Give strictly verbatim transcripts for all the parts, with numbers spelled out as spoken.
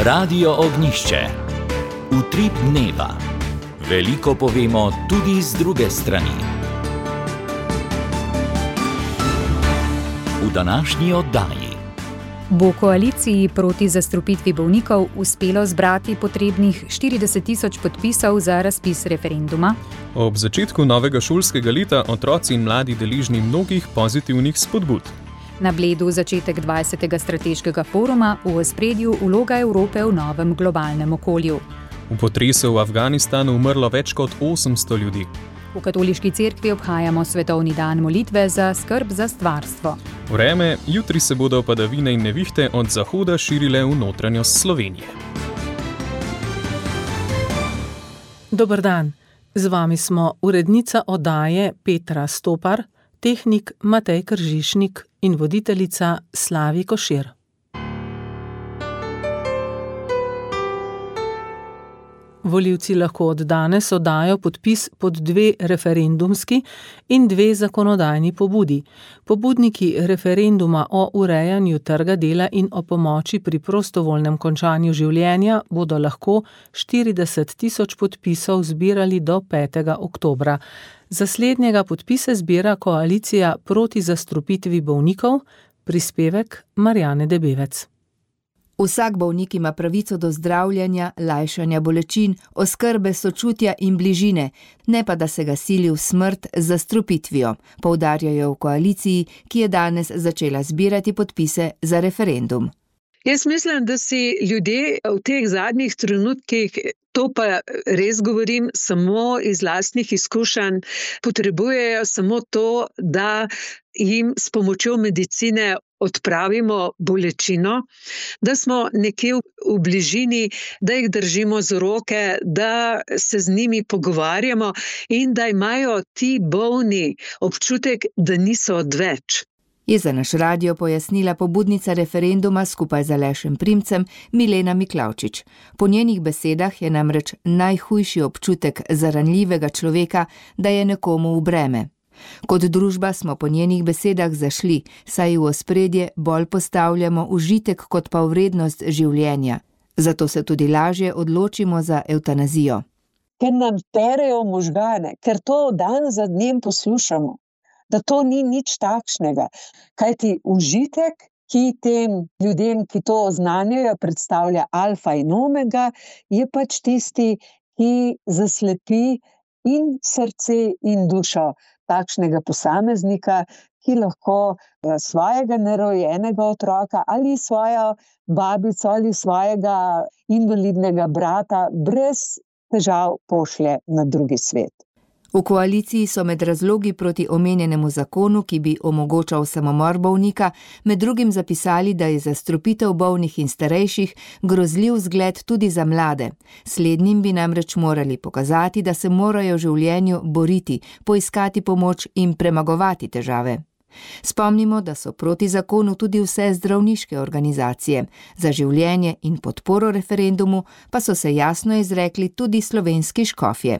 Radio Ognjišče. Utrip dneva. Veliko povemo tudi z druge strani. V današnji oddaji bo koaliciji proti zastrupitvi bolnikov uspelo zbrati potrebnih štirideset tisoč podpisov za razpis referenduma. Ob začetku novega šolskega leta otroci in mladi deležni mnogih pozitivnih spodbud. Na Bledu začetek dvajsetega strateškega foruma, v ospredju vloga Evrope v novem globalnem okolju. V potresu v Afganistanu umrlo več kot osemsto ljudi. V katoliški cerkvi obhajamo svetovni dan molitve za skrb za stvarstvo. Vreme, jutri se bodo padavine in nevihte od zahoda širile v notranjost Slovenije. Dober dan, z vami smo urednica oddaje Petra Stopar, tehnik Matej Kržišnik in voditeljica Slavi Košir. Volivci lahko od danes oddajo podpis pod dve referendumski in dve zakonodajni pobudi. Pobudniki referenduma o urejanju trga dela in o pomoči pri prostovoljnem končanju življenja bodo lahko štirideset tisoč podpisov zbirali do petega oktobra. Za slednjega podpise zbira koalicija proti zastrupitvi bolnikov, prispevek Marjane Debevec. Vsak bolnik ima pravico do zdravljenja, lajšanja bolečin, oskrbe sočutja in bližine, ne pa da se ga sili v smrt z zastrupitvijo, poudarjajo v koaliciji, ki je danes začela zbirati podpise za referendum. Jaz mislim, da si ljudje v teh zadnjih trenutkih, to pa res govorim samo iz lastnih izkušenj, potrebujejo samo to, da jim s pomočjo medicine odpravimo bolečino, da smo nekje v bližini, da jih držimo z roke, da se z njimi pogovarjamo in da imajo ti bolni občutek, da niso odveč. Je za naš radio pojasnila pobudnica referenduma skupaj z Alešem Primcem Milena Miklavčič. Po njenih besedah je namreč najhujši občutek za ranljivega človeka, da je nekomu v breme. Kot družba smo po njenih besedah zašli, saj v ospredje bolj postavljamo užitek kot pa vrednost življenja. Zato se tudi lažje odločimo za evtanazijo. Ker nam perejo možgane, ker to dan za dnem poslušamo, da to ni nič takšnega. Kajti užitek, ki tem ljudem, ki to oznanjajo, predstavlja alfa in omega, je pač tisti, ki zaslepi in srce in dušo takšnega posameznika, ki lahko svojega nerojenega otroka ali svojo babico ali svojega invalidnega brata brez težav pošlje na drugi svet. V koaliciji so med razlogi proti omenjenemu zakonu, ki bi omogočal samomor bolnika, med drugim zapisali, da je zastrupitev bolnih in starejših grozljiv zgled tudi za mlade. Slednjim bi namreč morali pokazati, da se morajo v življenju boriti, poiskati pomoč in premagovati težave. Spomnimo, da so proti zakonu tudi vse zdravniške organizacije. Za življenje in podporo referendumu pa so se jasno izrekli tudi slovenski škofje.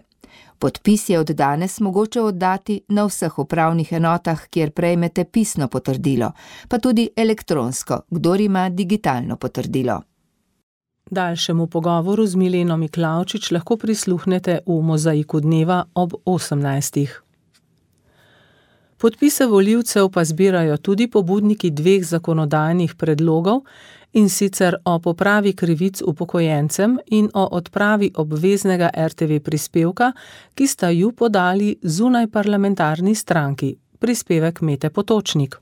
Podpis je od danes mogoče oddati na vseh upravnih enotah, kjer prejmete pisno potrdilo, pa tudi elektronsko, kdor ima digitalno potrdilo. Daljšemu pogovoru z Mileno Miklavčič lahko prisluhnete v Mozaiku dneva ob osemnajstih. Podpise volivcev pa zbirajo tudi pobudniki dveh zakonodajnih predlogov, in sicer o popravi krivic upokojencem in o odpravi obveznega er te ve prispevka, ki sta ju podali zunajparlamentarni stranki. Prispevek Mete Potočnik.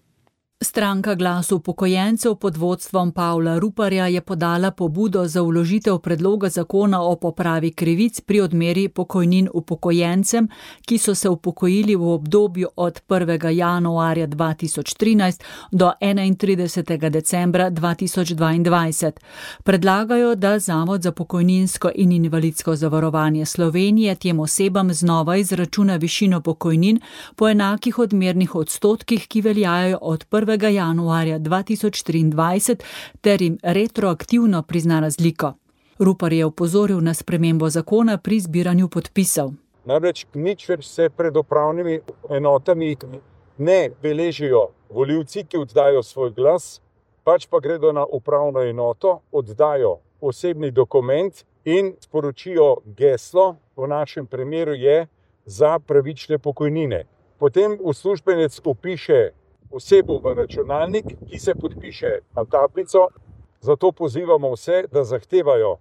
Stranka Glas upokojencev pod vodstvom Pavla Ruparja je podala pobudo za vložitev predloga zakona o popravi krivic pri odmeri pokojnin upokojencem, ki so se upokojili v obdobju od prvega januarja dva tisoč trinajst do enaintridesetega decembra dva tisoč dvaindvajset. Predlagajo, da Zavod za pokojninsko in invalidsko zavarovanje Slovenije tem osebam znova izračuna višino pokojnin po enakih odmernih odstotkih, ki veljajo od prvega januarja dva tisoč triindvajset ter jim retroaktivno prizna razliko. Rupar je opozoril na spremembo zakona pri zbiranju podpisov. Namreč nič več se pred upravnimi enotami ne beležijo volivci, ki oddajo svoj glas, pač pa gredo na upravno enoto, oddajo osebni dokument in sporočijo geslo, v našem primeru je za pravične pokojnine. Potem uslužbenec vpiše osebo v računalnik, ki se podpiše na tablico, zato pozivamo vse, da zahtevajo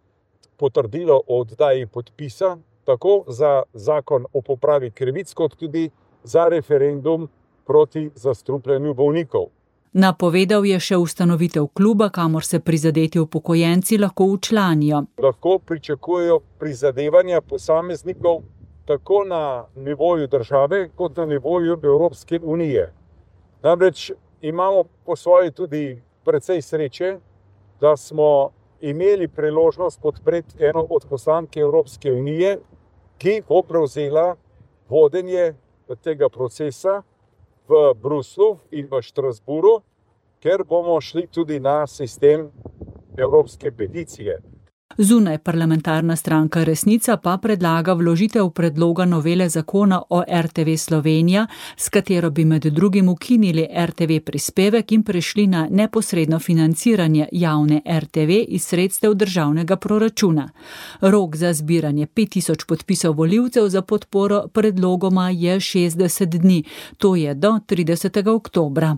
potrdilo o oddaji podpisa, tako za zakon o popravi krivic, kot tudi za referendum proti zastrupljanju bolnikov. Napovedal je še ustanovitev kluba, kamor se prizadeti upokojenci lahko včlanijo. Lahko pričakujejo prizadevanja posameznikov tako na nivoju države, kot na nivoju Evropske unije. Namreč imamo po svoji tudi precej sreče, da smo imeli priložnost podpreti eno od poslank Evropske unije, ki bo prevzela vodenje tega procesa v Bruslu in v Štrasburu, ker bomo šli tudi na sistem evropske peticije. Zunaj parlamentarna stranka Resnica pa predlaga vložitev predloga novele zakona o R T V Slovenija, s katero bi med drugim ukinili R T V prispevek in prešli na neposredno financiranje javne R T V iz sredstev državnega proračuna. Rok za zbiranje pet tisoč podpisov volivcev za podporo predlogoma je šestdeset dni, to je do tridesetega oktobra.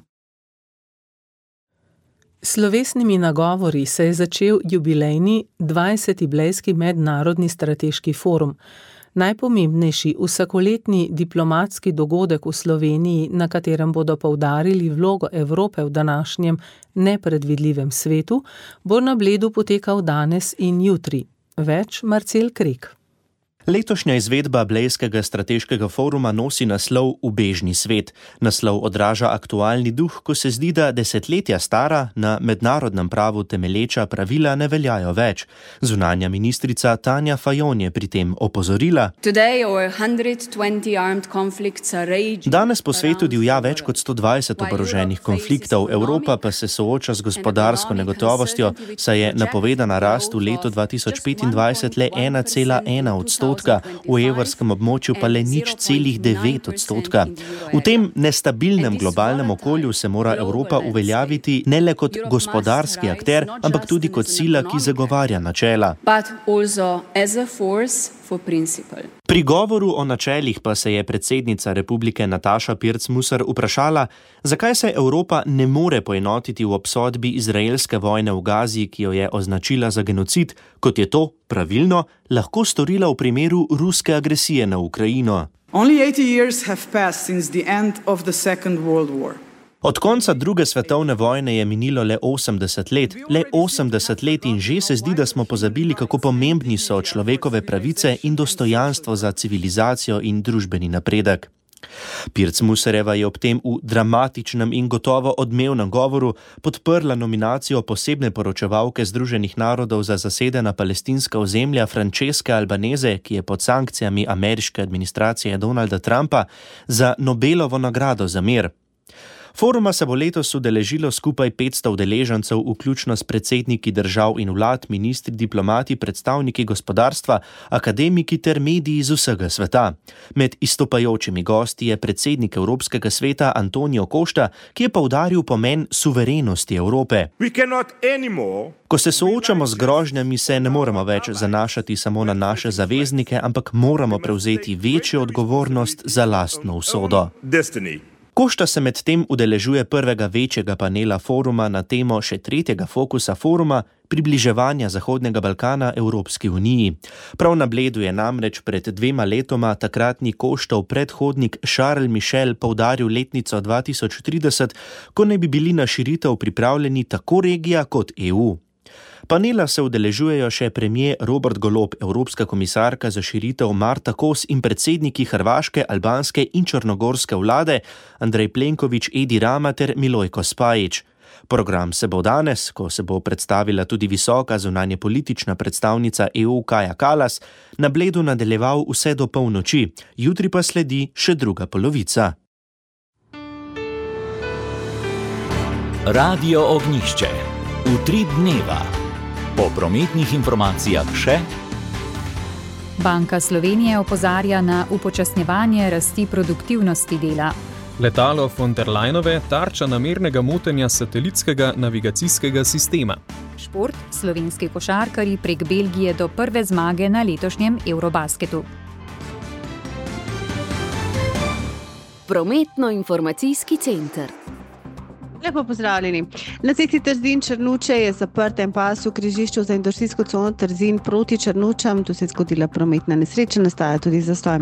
S slovesnimi nagovori se je začel jubilejni dvajseti Blejski mednarodni strateški forum, najpomembnejši vsakoletni diplomatski dogodek v Sloveniji, na katerem bodo poudarili vlogo Evrope v današnjem nepredvidljivem svetu, bo na Bledu potekal danes in jutri. Več Marcel Krek. Letošnja izvedba Blejskega strateškega foruma nosi naslov Ubežni svet. Naslov odraža aktualni duh, ko se zdi, da desetletja stara, na mednarodnem pravu temelječa pravila ne veljajo več. Zunanja ministrica Tanja Fajon je pri tem opozorila: Danes po svetu divja več kot sto dvajset oboroženih konfliktov, Evropa pa se sooča z gospodarsko negotovostjo, saj je napovedana rast v letu dva tisoč petindvajset le ena cela ena odstotka. V evrskem območju pa le nič celih devet odstotka. V tem nestabilnem globalnem okolju se mora Evropa uveljaviti ne le kot gospodarski akter, ampak tudi kot sila, ki zagovarja načela. Pri govoru o načelih pa se je predsednica Republike Nataša Pirc Musar vprašala, zakaj se Evropa ne more poenotiti v obsodbi izraelske vojne v Gazi, ki jo je označila za genocid, kot je to, pravilno, lahko storila v primeru ruske agresije na Ukrajino. Od konca druge svetovne vojne je minilo le osemdeset let, le osemdeset let in že se zdi, da smo pozabili, kako pomembni so človekove pravice in dostojanstvo za civilizacijo in družbeni napredek. Pirc Musarjeva je ob tem v dramatičnem in gotovo odmevnem govoru podprla nominacijo posebne poročevalke Združenih narodov za zasedena palestinska ozemlja Francesca Albanese, ki je pod sankcijami ameriške administracije Donalda Trumpa, za Nobelovo nagrado za mir. Foruma se bo letos udeležilo skupaj petsto udeležencev, vključno s predsedniki držav in vlad, ministri, diplomati, predstavniki gospodarstva, akademiki ter mediji iz vsega sveta. Med izstopajočimi gosti je predsednik Evropskega sveta Antonio Costa, ki je poudaril pomen suverenosti Evrope. Ko se soočamo z grožnjami, se ne moremo več zanašati samo na naše zaveznike, ampak moramo prevzeti večjo odgovornost za lastno usodo. Costa se med tem udeležuje prvega večjega panela foruma na temo še tretjega fokusa foruma, približevanja Zahodnega Balkana Evropski uniji. Prav na Bledu je namreč pred dvema letoma takratni Costov predhodnik Charles Michel poudaril letnico dva tisoč trideset, ko naj bi bili na širitev pripravljeni tako regija kot E U. Panela se udeležujejo še premier Robert Golob, evropska komisarka za širitev Marta Kos in predsedniki hrvaške, albanske in črnogorske vlade Andrej Plenković, Edi Rama ter Milojko Spajić. Program se bo danes, ko se bo predstavila tudi visoka zunanje politična predstavnica E U Kaja Kallas, na Bledu nadaljeval vse do polnoči, jutri pa sledi še druga polovica. Radio Ognjišče. Utrip dneva. Po prometnih informacijah še. Banka Slovenije opozarja na upočasnjevanje rasti produktivnosti dela. Letalo von der Leinove tarča namernega motenja satelitskega navigacijskega sistema. Šport, slovenski košarkarji prek Belgije do prve zmage na letošnjem Eurobasketu. Prometno-informacijski center. Lepo pozdravljeni. Na cesti Trzin-Črnuče je zaprtem pasu v križišču za industrijsko cono Trzin proti Črnučam. Tu se je zgodila prometna nesreča, nastaja tudi zastoj.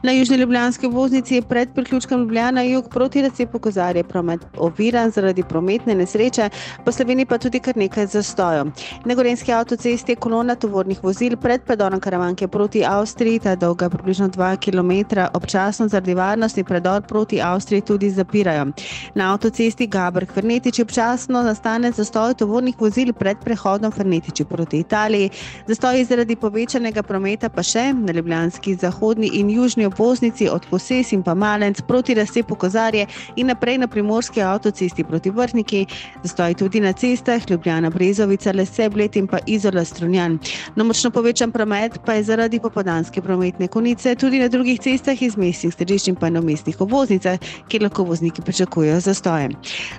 Na južni ljubljanski obvoznici je pred priključkom Ljubljana jug proti razcepu Kozarje promet oviran zaradi prometne nesreče, po Sloveniji pa tudi kar nekaj zastojev. Na gorenjski avtocesti je kolona tovornih vozil pred predorom Karavanke proti Avstriji, ta dolga približno dva kilometra, občasno zaradi varnosti predor proti Avstriji tudi zapirajo. Na avtocesti Gaber Fernetiči občasno nastane zastoj tovornih vozil pred prehodom Fernetiči proti Italiji. Zastoji zaradi povečanega prometa pa še na ljubljanski zahodni in južni obvoznici od Koses in pa Malenc proti razcepu Kozarje in naprej na primorski avtocesti proti Vrhniki. Zastoji tudi na cestah Ljubljana Brezovica, Lese Bled in pa Izola Strunjan. Na močno povečan promet pa je zaradi popoldanske prometne konice tudi na drugih cestah iz mestnih središč in pa na mestnih obvoznicah, kjer lahko vozniki pričakujejo zastoje.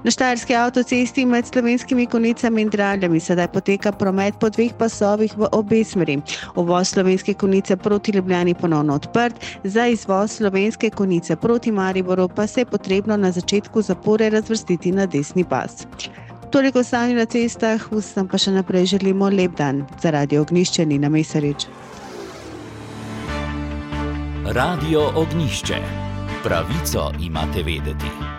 Na štajerski avtocesti med slovenskimi konicami in Draljami sedaj poteka promet po dveh pasovih v obe smeri. Uvoz slovenske konice proti Ljubljani ponovno odprt, za izvoz slovenske konice proti Mariboru pa se je potrebno na začetku zapore razvrstiti na desni pas. Toliko stanju na cestah, vsem pa še naprej želimo lep dan. Za Radio Ognjišče Nina Mesarič. Radio Ognjišče. Pravico imate vedeti.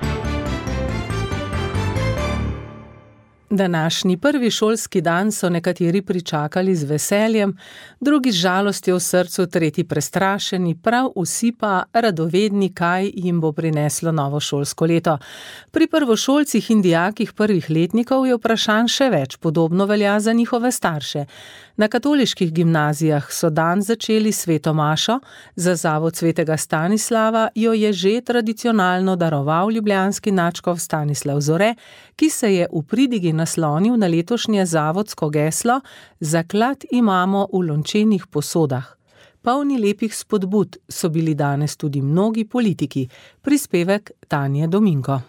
Današnji prvi šolski dan so nekateri pričakali z veseljem, drugi z žalostjo v srcu, tretji prestrašeni, prav vsi pa radovedni, kaj jim bo prineslo novo šolsko leto. Pri prvošolcih in dijakih prvih letnikov je vprašanj še več, podobno velja za njihove starše. Na katoliških gimnazijah so dan začeli sveto mašo, za zavod svetega Stanislava jo je že tradicionalno daroval ljubljanski nadškof Stanislav Zore, ki se je v pridigi naslonil na letošnje zavodsko geslo Zaklad imamo v lončenih posodah. Polni lepih spodbud so bili danes tudi mnogi politiki. Prispevek Tanje Dominko.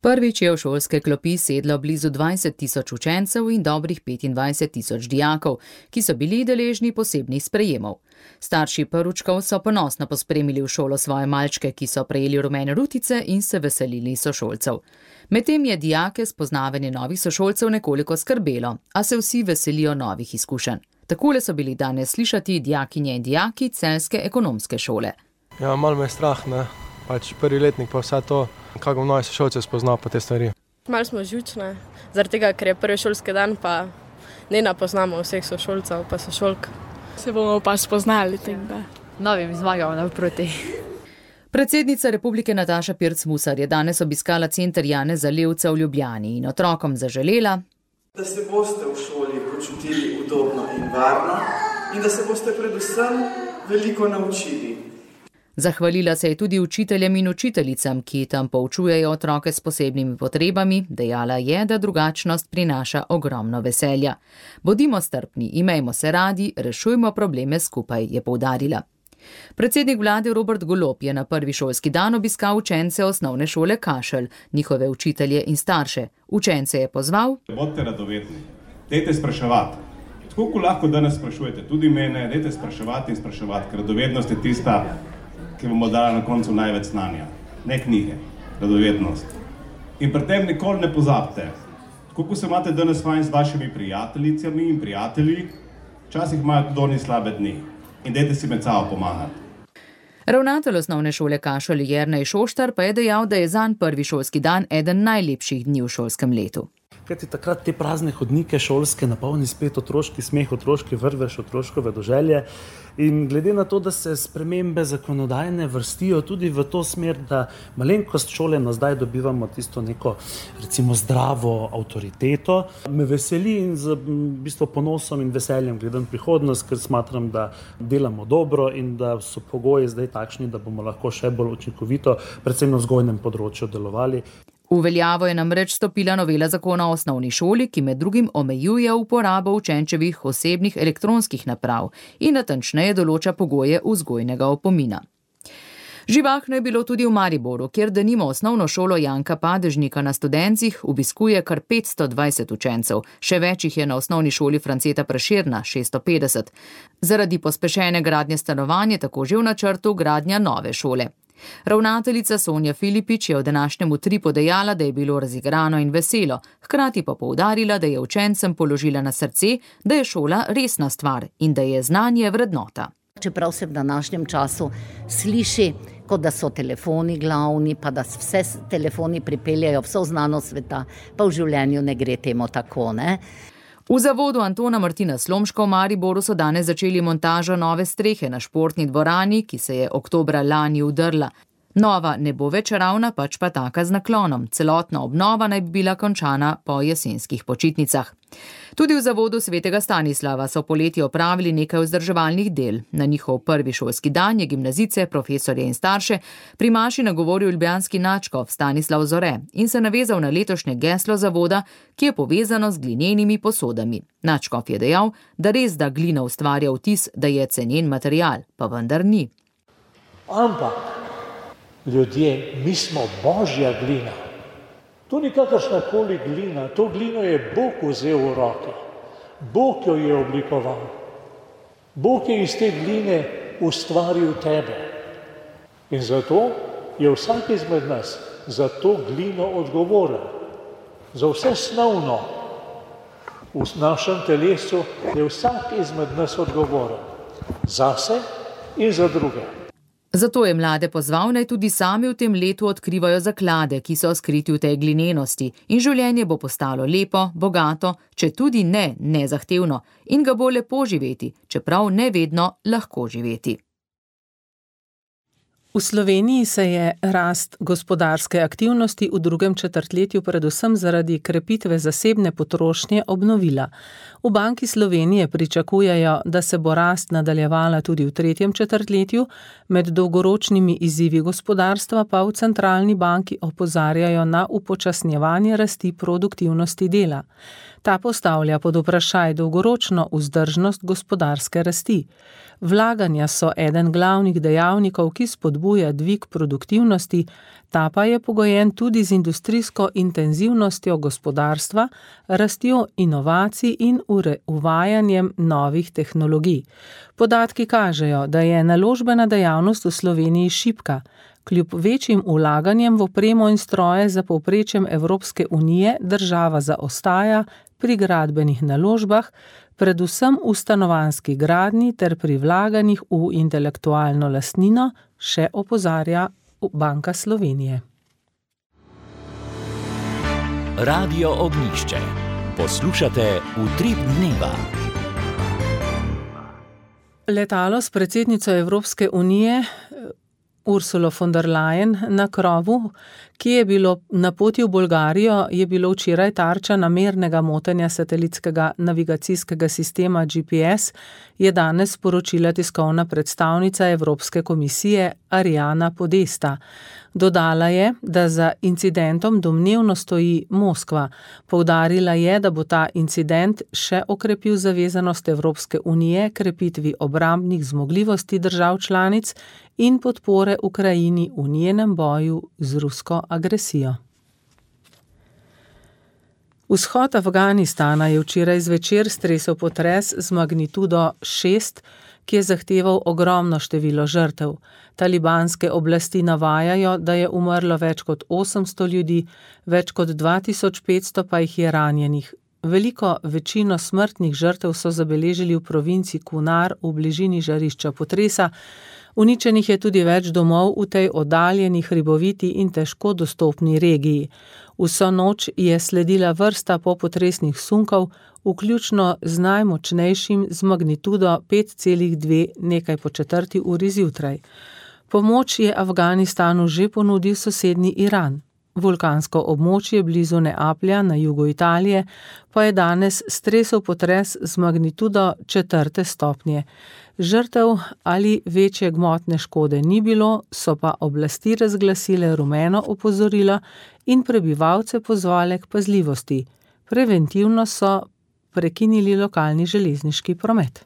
Prvič je v šolske klopi sedlo blizu dvajset tisoč učencev in dobrih petindvajset tisoč dijakov, ki so bili deležni posebnih sprejemov. Starši prvčkov so ponosno pospremili v šolo svoje malčke, ki so prejeli rumene rutice in se veselili sošolcev. Medtem je dijake spoznavanje novih sošolcev nekoliko skrbelo, a se vsi veselijo novih izkušenj. Takole so bili danes slišati dijakinje in dijaki celjske ekonomske šole. Ja, malo me je strah, ne? Pač prvi letnik pa vse to, kako bom novi sošolce spoznal po te stvari. Malo smo živčne, zaradi tega, ker je prvi šolski dan, pa ne napoznamo vseh sošolcev pa sošolk. Se bomo pa spoznali tega. Novim zmagamo naproti. Predsednica Republike Nataša Pirc-Musar je danes obiskala center Janeza Levca v Ljubljani in otrokom zaželela, da se boste v šoli počutili udobno in varno in da se boste predvsem veliko naučili. Zahvalila se je tudi učiteljem in učiteljicam, ki tam poučujejo otroke s posebnimi potrebami, dejala je, da drugačnost prinaša ogromno veselja. Bodimo strpni, imejmo se radi, rešujmo probleme skupaj, je poudarila. Predsednik vlade Robert Golob je na prvi šolski dan obiskal učence osnovne šole Kašelj, njihove učitelje in starše. Učence je pozval: Bodite radovedni, dajte spraševati. Tako kot lahko danes sprašujete tudi mene, dajte spraševati in spraševati, ker radovednost je tista, ki bomo dala na koncu največ znanja. Ne knjige, radovednost. In pri tem nikoli ne pozabite, tako kot se imate danes fajn z vašimi prijateljicami in prijatelji, včasih imajo tudi oni slabe dni. In dajte si med sabo pomagati. Ravnatelj osnovne šole Kašelj Jernej Šoštar pa je dejal, da je zanj prvi šolski dan eden najlepših dni v šolskem letu. Kajti takrat te prazne hodnike šolske napolni spet otroški smeh, otroški vrvež, otroško vedoželje. In glede na to, da se spremembe zakonodajne vrstijo tudi v to smer, da malenkost šole na zdaj dobivamo tisto neko, recimo, zdravo avtoriteto, me veseli in z v bistvu ponosom in veseljem gledam prihodnost, ker smatram, da delamo dobro in da so pogoji zdaj takšni, da bomo lahko še bolj učinkovito, predvsem na vzgojnem področju, delovali. V veljavo je namreč stopila novela zakona o osnovni šoli, ki med drugim omejuje uporabo učenčevih osebnih elektronskih naprav in natančneje določa pogoje vzgojnega opomina. Živahno je bilo tudi v Mariboru, kjer denimo osnovno šolo Janka Padežnika na Studencih obiskuje kar petsto dvajset učencev, še več jih je na osnovni šoli Franceta Prešerna, šeststo petdeset. Zaradi pospešene gradnje stanovanj je tako že v načrtu gradnja nove šole. Ravnateljica Sonja Filipič je v današnjem Utripu dejala, da je bilo razigrano in veselo, hkrati pa poudarila, da je učencem položila na srce, da je šola resna stvar in da je znanje vrednota. Čeprav se v današnjem času sliši, kot da so telefoni glavni, pa da vse telefoni pripeljajo vso znanost sveta, pa v življenju ne gre temu tako, ne? V zavodu Antona Martina Slomška v Mariboru so danes začeli montažo nove strehe na športni dvorani, ki se je oktobra lani udrla. Nova ne bo več ravna, pač pa taka z naklonom. Celotna obnova naj bi bila končana po jesenskih počitnicah. Tudi v zavodu Svetega Stanislava so poleti opravili nekaj vzdrževalnih del. Na njihov prvi šolski dan je gimnazice, profesorje in starše pri maši nagovoril ljubljanski nadškof Stanislav Zore in se navezal na letošnje geslo zavoda, ki je povezano z glinenimi posodami. Nadškof je dejal, da res da glina ustvarja vtis, da je cenjen material, pa vendar ni. Ampak ljudje, mi smo božja glina. To ni kakršnakoli glina, to glino je Bog vzel v roke. Bog jo je oblikoval. Bog je iz te gline ustvaril tebe. In zato je vsak izmed nas za to glino odgovoren. Za vse snovno v našem telesu je vsak izmed nas odgovoren. Zase in za druge. Zato je mlade pozval, naj tudi sami v tem letu odkrivajo zaklade, ki so skriti v tej glinenosti, in življenje bo postalo lepo, bogato, če tudi ne nezahtevno, in ga bo lepo živeti, čeprav ne vedno lahko živeti. V Sloveniji se je rast gospodarske aktivnosti v drugem četrtletju predvsem zaradi krepitve zasebne potrošnje obnovila. V Banki Slovenije pričakujejo, da se bo rast nadaljevala tudi v tretjem četrtletju, med dolgoročnimi izzivi gospodarstva pa v centralni banki opozarjajo na upočasnjevanje rasti produktivnosti dela. Ta postavlja pod vprašaj dolgoročno vzdržnost gospodarske rasti. Vlaganja so eden glavnih dejavnikov, ki spodbuja dvig produktivnosti, ta pa je pogojen tudi z industrijsko intenzivnostjo gospodarstva, rastjo inovacij in uvajanjem novih tehnologij. Podatki kažejo, da je naložbena dejavnost v Sloveniji šibka. Kljub večjim vlaganjem v opremo in stroje za povprečjem Evropske unije država zaostaja pri gradbenih naložbah, predvsem v stanovanjski gradnji ter pri vlaganjih v intelektualno lastnino, še opozarja Banka Slovenije. Radio Ognjišče. Poslušate Utrip dneva. Letalo s predsednico Evropske unije Ursulo von der Leyen na krovu, ki je bilo na poti v Bolgarijo, je bilo včeraj tarča namernega motenja satelitskega navigacijskega sistema G P S, je danes sporočila tiskovna predstavnica Evropske komisije Ariana Podesta. Dodala je, da za incidentom domnevno stoji Moskva. Poudarila je, da bo ta incident še okrepil zavezanost Evropske unije krepitvi obrambnih zmogljivosti držav članic in podpore Ukrajini v njenem boju z rusko agresijo. Vzhod Afganistana je včeraj zvečer stresel potres z magnitudo šest, ki je zahteval ogromno število žrtev. Talibanske oblasti navajajo, da je umrlo več kot osemsto ljudi, več kot dva tisoč petsto pa jih je ranjenih. Veliko večino smrtnih žrtev so zabeležili v provinci Kunar v bližini žarišča potresa. Uničenih je tudi več domov v tej oddaljeni, hriboviti in težko dostopni regiji. Vso noč je sledila vrsta popotresnih sunkov, vključno z najmočnejšim z magnitudo pet celih dve nekaj po četrti uri zjutraj. Pomoč je Afganistanu že ponudil sosednji Iran. Vulkansko območje blizu Neaplja na jugu Italije pa je danes stresel potres z magnitudo četrte stopnje. Žrtev ali večje gmotne škode ni bilo, so pa oblasti razglasile rumeno opozorilo in prebivalce pozvale k pazljivosti. Preventivno so prekinili lokalni železniški promet.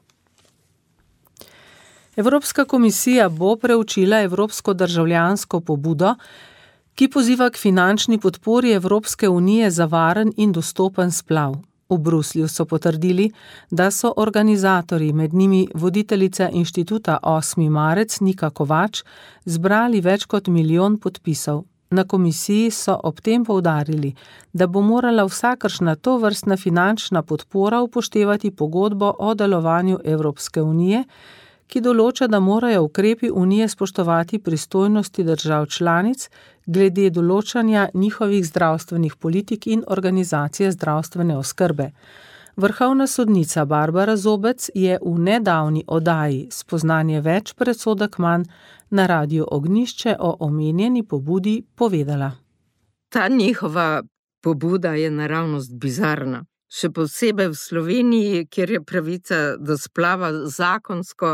Evropska komisija bo preučila evropsko državljansko pobudo, ki poziva k finančni podpori Evropske unije za varen in dostopen splav. V Bruslju so potrdili, da so organizatorji, med njimi voditeljica inštituta osmi marec Nika Kovač, zbrali več kot milijon podpisov. Na komisiji so ob tem poudarili, da bo morala vsakršna tovrstna finančna podpora upoštevati pogodbo o delovanju Evropske unije, ki določa, da morajo ukrepi unije spoštovati pristojnosti držav članic glede določanja njihovih zdravstvenih politik in organizacije zdravstvene oskrbe. Vrhovna sodnica Barbara Zobec je v nedavni oddaji Spoznanje več, predsodek manj na Radiu Ognjišče o omenjeni pobudi povedala. Ta njihova pobuda je naravnost bizarna. Še posebej v Sloveniji, kjer je pravica do splava zakonsko,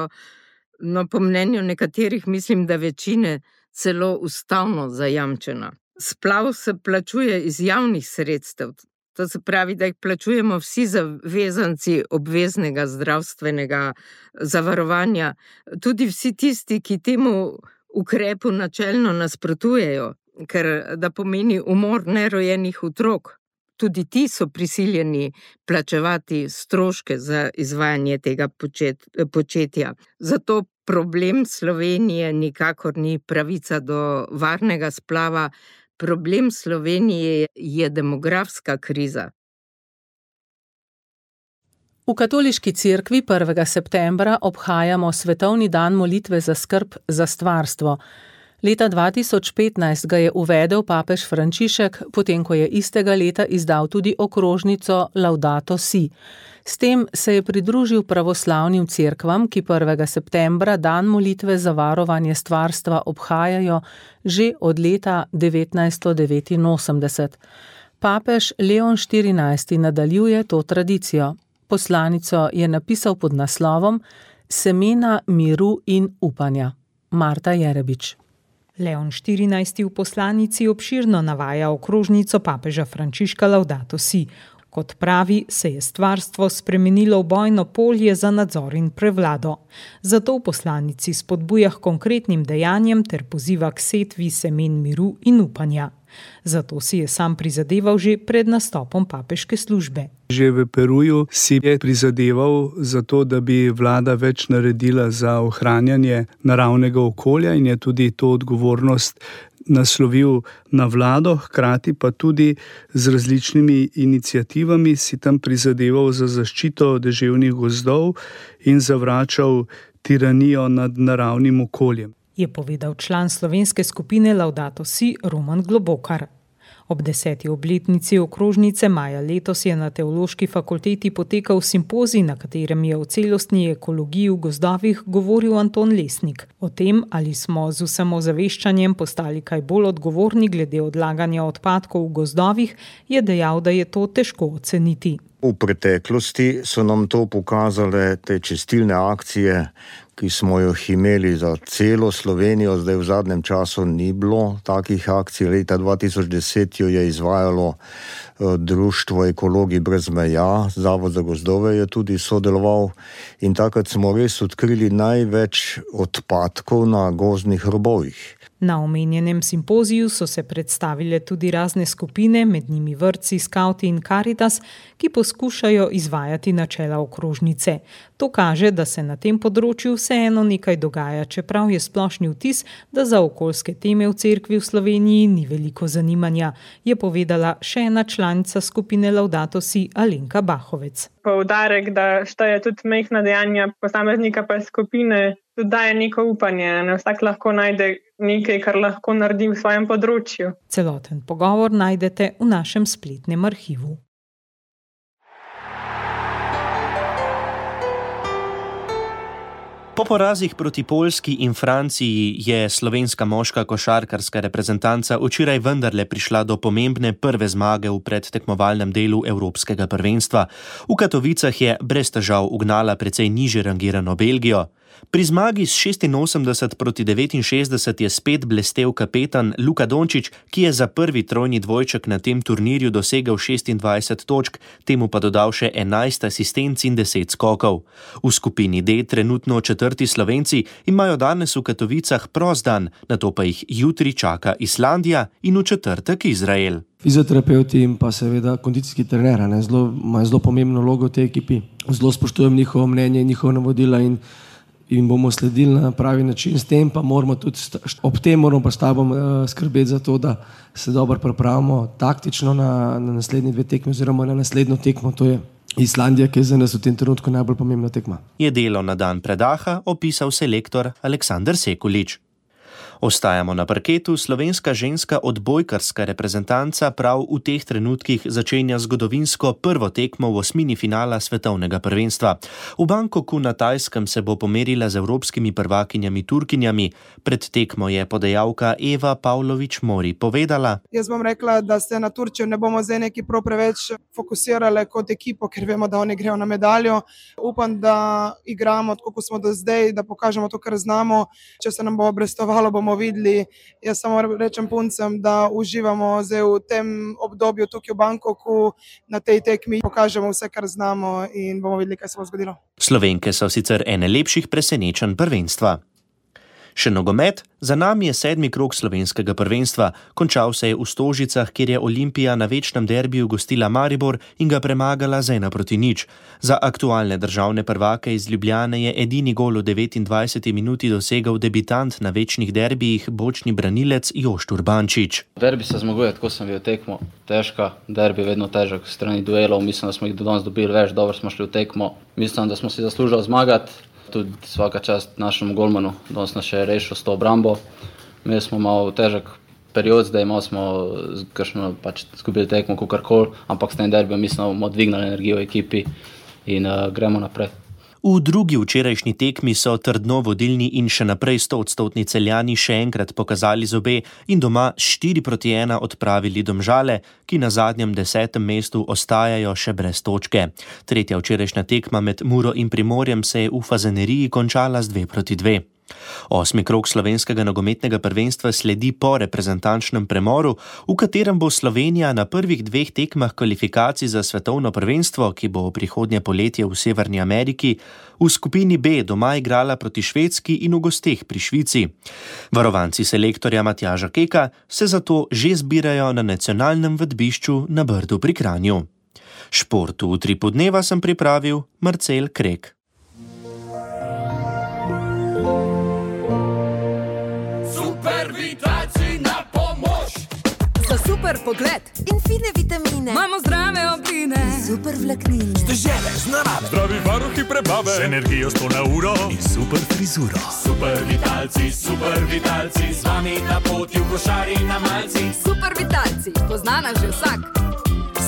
no po mnenju nekaterih mislim, da večine celo ustavno zajamčena. Splav se plačuje iz javnih sredstev, to se pravi, da jih plačujemo vsi zavezanci obveznega zdravstvenega zavarovanja, tudi vsi tisti, ki temu ukrepu načelno nasprotujejo, ker da pomeni umor nerojenih otrok. Tudi ti so prisiljeni plačevati stroške za izvajanje tega počet, početja. Zato problem Slovenije nikakor ni pravica do varnega splava. Problem Slovenije je demografska kriza. V Katoliški cerkvi prvega septembra obhajamo svetovni dan molitve za skrb za stvarstvo. Leta dva tisoč petnajst ga je uvedel papež Frančišek, potem ko je istega leta izdal tudi okrožnico Laudato si. S tem se je pridružil pravoslavnim cerkvam, ki prvega septembra dan molitve za varovanje stvarstva obhajajo že od leta devetnajststo devetinosemdeset. Papež Leon štirinajsti nadaljuje to tradicijo. Poslanico je napisal pod naslovom Semena miru in upanja. Marta Jerebič. Leon štirinajsti v poslanici obširno navaja okrožnico papeža Frančiška Laudato si. Kot pravi, se je stvarstvo spremenilo v bojno polje za nadzor in prevlado. Zato v poslanici spodbuja k konkretnim dejanjem ter poziva k setvi semen miru in upanja. Zato si je sam prizadeval že pred nastopom papeške službe. Že v Peruju si je prizadeval za to, da bi vlada več naredila za ohranjanje naravnega okolja in je tudi to odgovornost naslovil na vlado, hkrati pa tudi z različnimi iniciativami si tam prizadeval za zaščito deževnih gozdov in zavračal tiranijo nad naravnim okoljem. Je povedal član slovenske skupine Laudato si Roman Globokar. Ob deseti obletnici okrožnice maja letos je na Teološki fakulteti potekal simpozij, na katerem je o celostni ekologiji v gozdovih govoril Anton Lesnik. O tem, ali smo z vsem ozaveščanjem postali kaj bolj odgovorni glede odlaganja odpadkov v gozdovih, je dejal, da je to težko oceniti. V preteklosti so nam to pokazale te čistilne akcije, ki smo jih imeli za celo Slovenijo, zdaj v zadnjem času ni bilo takih akcij. Leta dva tisoč deset jo je izvajalo Društvo ekologi brez meja, Zavod za gozdove je tudi sodeloval in takrat smo res odkrili največ odpadkov na gozdnih robovih. Na omenjenem simpoziju so se predstavile tudi razne skupine, med njimi vrtci, skavti in Karitas, ki poskušajo izvajati načela okrožnice. To kaže, da se na tem področju vseeno nekaj dogaja, čeprav je splošni vtis, da za okoljske teme v cerkvi v Sloveniji ni veliko zanimanja, je povedala še ena članica skupine Laudato si Alenka Bahovec. Poudarek, da šteje tudi majhna dejanja posameznika pa skupine, tudi daje neko upanje, ne vsak lahko najde nekaj, kar lahko naredi v svojem področju. Celoten pogovor najdete v našem spletnem arhivu. Po porazih proti Poljski in Franciji je slovenska moška košarkarska reprezentanca včeraj vendarle prišla do pomembne prve zmage v predtekmovalnem delu Evropskega prvenstva. V Katovicah je brez težav ugnala precej nižje rangirano Belgijo. Pri zmagi s šestinosemdeset proti devetinšestdeset je spet blestel kapetan Luka Dončić, ki je za prvi trojni dvojček na tem turnirju dosegel šestindvajset točk, temu pa dodal še enajst asistenc in deset skokov. V skupini D trenutno četrti Slovenci imajo danes v Katovicah prost dan, nato pa jih jutri čaka Islandija in v četrtek Izrael. Fizioterapeuti in pa seveda kondicijski trener, ne, zelo, imajo zelo pomembno vlogo v tej ekipi. Zelo spoštujem njihovo mnenje in njihova navodila in in bomo sledili na pravi način, s tem pa moramo tudi, ob tem moramo pa s tabom uh, skrbeti za to, da se dobro pripravimo taktično na, na naslednji dve tekmi oziroma na naslednjo tekmo, to je Islandija, ki je za nas v tem trenutku najbolj pomembna tekma. Je delo na dan predaha opisal selektor Aleksander Sekulič. Ostajamo na parketu, slovenska ženska odbojkarska reprezentanca prav v teh trenutkih začenja zgodovinsko prvo tekmo v osmini finala svetovnega prvenstva. V Bangkoku na Tajskem se bo pomerila z evropskimi prvakinjami Turkinjami. Pred tekmo je podajalka Eva Pavlović-Mori povedala: Jaz bom rekla, da se na Turčijo ne bomo zdaj neki prav preveč fokusirali kot ekipo, ker vemo, da oni grejo na medaljo. Upam, da igramo tako, kot smo do zdaj, da pokažemo to, kar znamo. Če se nam bo obrestovalo, bomo videli. Jaz samo rečem puncem, da uživamo zdaj v tem obdobju tukaj v Bangkoku, na tej tekmi pokažemo vse, kar znamo in bomo videli, kaj se bo zgodilo. Slovenke so sicer ene lepših presenečenj prvenstva. Še nogomet, za nami je sedmi krog slovenskega prvenstva. Končal se je v Stožicah, kjer je Olimpija na večnem derbiju gostila Maribor in ga premagala z ena proti nič. Za aktualne državne prvake iz Ljubljane je edini gol v devetindvajseti minuti dosegel debitant na večnih derbijih, bočni branilec Jošt Urbančič. Derbi se zmaguje, tako sem bil tekmo. Težka, derbi vedno težek, strani duelov. Mislim, da smo jih do danes dobili več, dobro smo šli v tekmo. Mislim, da smo si zaslužili zmagati. Tudi svaka čast našemu golmanu, danes nas še je rešil s to obrambo. Mi smo malo težek period, zdaj malo smo kakšno pač zgubili tekmo, kakorkoli, ampak s tem derbijem mislim, da bomo dvignali energijo v ekipi in uh, gremo naprej. V drugi včerajšnji tekmi so trdno vodilni in še naprej stoodstotni Celjani še enkrat pokazali zobe in doma štiri proti ena odpravili Domžale, ki na zadnjem desetem mestu ostajajo še brez točke. Tretja včerajšnja tekma med Muro in Primorjem se je v Fazaneriji končala z dve proti dve. Osmi krog slovenskega nogometnega prvenstva sledi po reprezentančnem premoru, v katerem bo Slovenija na prvih dveh tekmah kvalifikacij za svetovno prvenstvo, ki bo prihodnje poletje v Severni Ameriki, v skupini B doma igrala proti Švedski in v gosteh pri Švici. Varovanci selektorja Matjaža Keka se zato že zbirajo na nacionalnem vedbišču na Brdu pri Kranju. Športu v Utripu dneva sem pripravil Marcel Krek. Super pogled in fine vitamine. Imamo zdrave obline, super vlaknine. Stežele z narave, zdravi varuhi prebave, z energijo sto na uro in super frizuro. Super vitalci, super vitalci, z vami na poti v košari na malci. Super vitalci, poznana že vsak.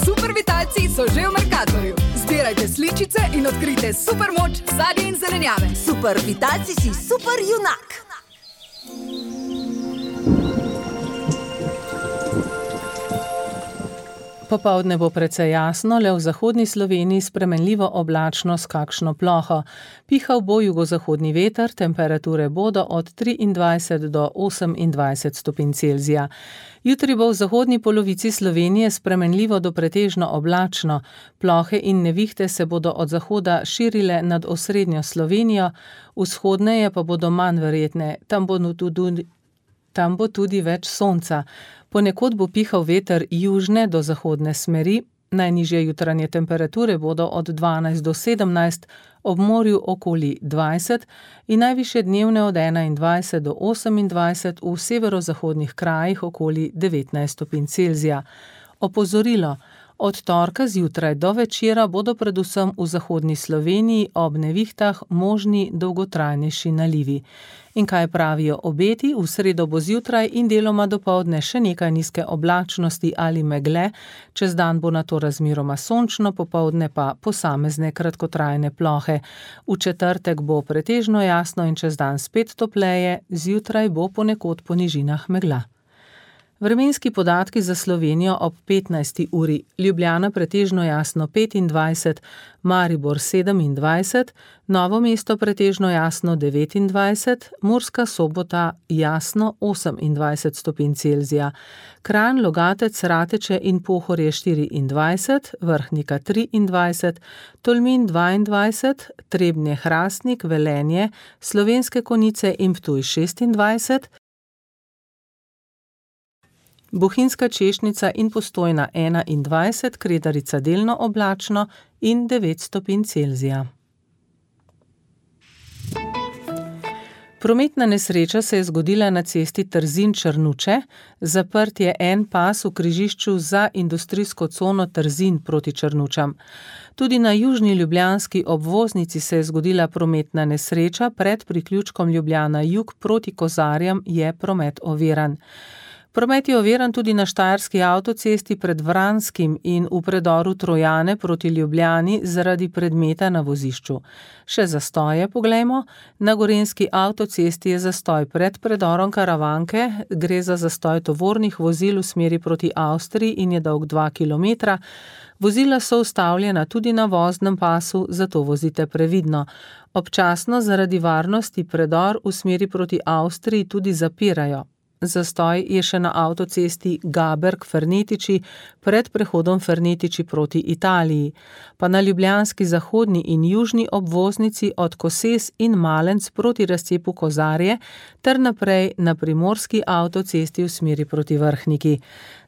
Super vitalci so že v Mercatorju. Zbirajte sličice in odkrite super moč sadja in zelenjave. Super vitalci si super junak. Popoldne bo precej jasno, le v zahodni Sloveniji spremenljivo oblačno s kakšno ploho. Pihal bo jugozahodni veter, temperature bodo od triindvajset do osemindvajset stopinj Celzija. Jutri bo v zahodni polovici Slovenije spremenljivo do pretežno oblačno. Plohe in nevihte se bodo od zahoda širile nad osrednjo Slovenijo, vzhodneje pa bodo manj verjetne, tam bo tudi, tam bo tudi več sonca. Ponekod bo pihal veter južne do zahodne smeri, najnižje jutranje temperature bodo od dvanajst do sedemnajst, ob morju okoli dvajset in najvišje dnevne od enaindvajset do osemindvajset, v severozahodnih krajih okoli devetnajst stopinj Celzija. Opozorilo: od torka zjutraj do večera bodo predvsem v zahodni Sloveniji ob nevihtah možni dolgotrajnejši nalivi. In kaj pravijo obeti? V sredo bo zjutraj in deloma dopoldne še nekaj nizke oblačnosti ali megle, čez dan bo nato razmeroma sončno, popoldne pa posamezne kratkotrajne plohe. V četrtek bo pretežno jasno in čez dan spet topleje, zjutraj bo ponekod po nižinah megla. Vremenski podatki za Slovenijo ob petnajsti uri. Ljubljana pretežno jasno petindvajset, Maribor sedemindvajset, Novo mesto pretežno jasno devetindvajset, Murska Sobota jasno osemindvajset stopinj Celzija, Kranj, Logatec, Rateče in Pohorje štiriindvajset, Vrhnika triindvajset, Tolmin dvaindvajset, Trebnje, Hrastnik, Velenje, Slovenske Konjice in Ptuj šestindvajset, Bohinjska Češnica in Postojna enaindvajset, Kredarica delno oblačno in devet stopinj Celzija. Prometna nesreča se je zgodila na cesti Trzin-Črnuče, zaprt je en pas v križišču za industrijsko cono Trzin proti Črnučam. Tudi na južni ljubljanski obvoznici se je zgodila prometna nesreča, pred priključkom Ljubljana jug proti Kozarjam je promet oviran. Promet je oviran tudi na štajerski avtocesti pred Vranskim in v predoru Trojane proti Ljubljani zaradi predmeta na vozišču. Še zastoje poglejmo. Na gorenjski avtocesti je zastoj pred predorom Karavanke, gre za zastoj tovornih vozil v smeri proti Avstriji in je dolg dva kilometra. Vozila so ustavljena tudi na voznem pasu, zato vozite previdno. Občasno zaradi varnosti predor v smeri proti Avstriji tudi zapirajo. Zastoj je še na avtocesti Gaberg-Fernetiči pred prehodom Fernetiči proti Italiji, pa na ljubljanski zahodni in južni obvoznici od Koses in Malenc proti razcepu Kozarje ter naprej na primorski avtocesti v smeri proti Vrhniki.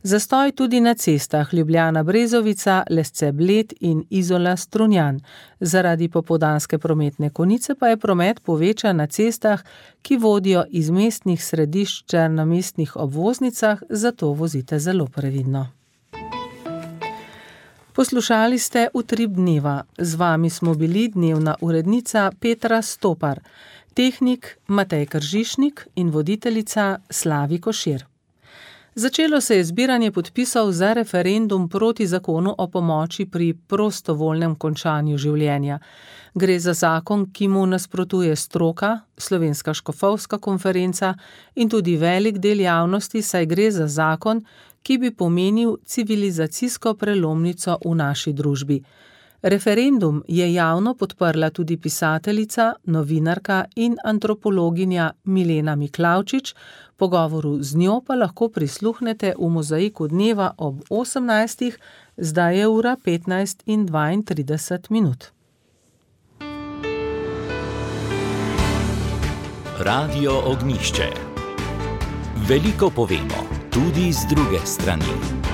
Zastoj tudi na cestah Ljubljana-Brezovica, Lesce-Bled in Izola-Strunjan. Zaradi popoldanske prometne konice pa je promet povečan na cestah, ki vodijo iz mestnih središč na mestnih obvoznicah, zato vozite zelo previdno. Poslušali ste Utrip dneva. Z vami smo bili dnevna urednica Petra Stopar, tehnik Matej Kržišnik in voditeljica Slavi Košir. Začelo se je zbiranje podpisov za referendum proti zakonu o pomoči pri prostovoljnem končanju življenja. Gre za zakon, ki mu nasprotuje stroka, Slovenska škofovska konferenca in tudi velik del javnosti, saj gre za zakon, ki bi pomenil civilizacijsko prelomnico v naši družbi. Referendum je javno podprla tudi pisateljica, novinarka in antropologinja Milena Miklavčič, pogovoru z njo pa lahko prisluhnete v Mozaiku dneva ob osemnajstih, zdaj je ura petnajst in dvaintrideset minut. Radio Ognjišče. Veliko povemo, tudi z druge strani.